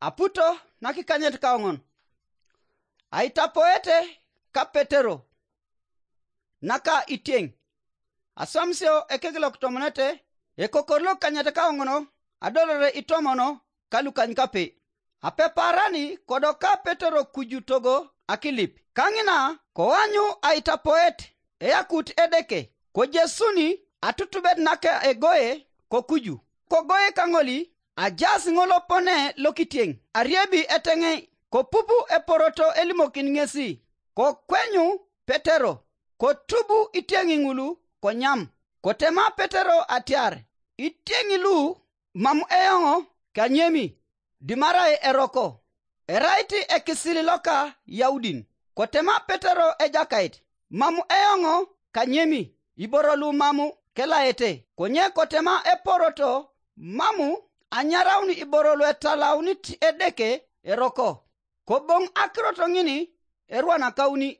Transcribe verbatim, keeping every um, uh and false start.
Aputo nakikanyet kaoŋon. Aitapoete ka Petero naka itieŋ. Aswamisio ekek lokutomonete, ekokor lokikanyet kaoŋon, adolore itomono ka lukanykape. Apeparani kodoka Petero kuju togo akilip. Kaŋina koanyu aitapoet, eyakut Edeke, kojesuni atutubet naka egoe kokuju. Kogoe kaŋoli ajaas ŋolopone lokitieŋ, ariebi eteŋe, kopupu eporoto elimokin ŋesi, kokwenyu Petero, kotubu itieŋi ŋulu konyam. Kotema Petero atiar, itieŋi lu mam eoŋ kanyemi, dimarai eroko, erait ekisil loka Yaudin. Kotema Petero Ejakait, mam eoŋ kanyemi, iboro lu mam kelaete. Konye kotema eporoto, mam anyaraun iboro luetalaunit Edeke eroko. Koboŋ akirot ŋin erwanakauni.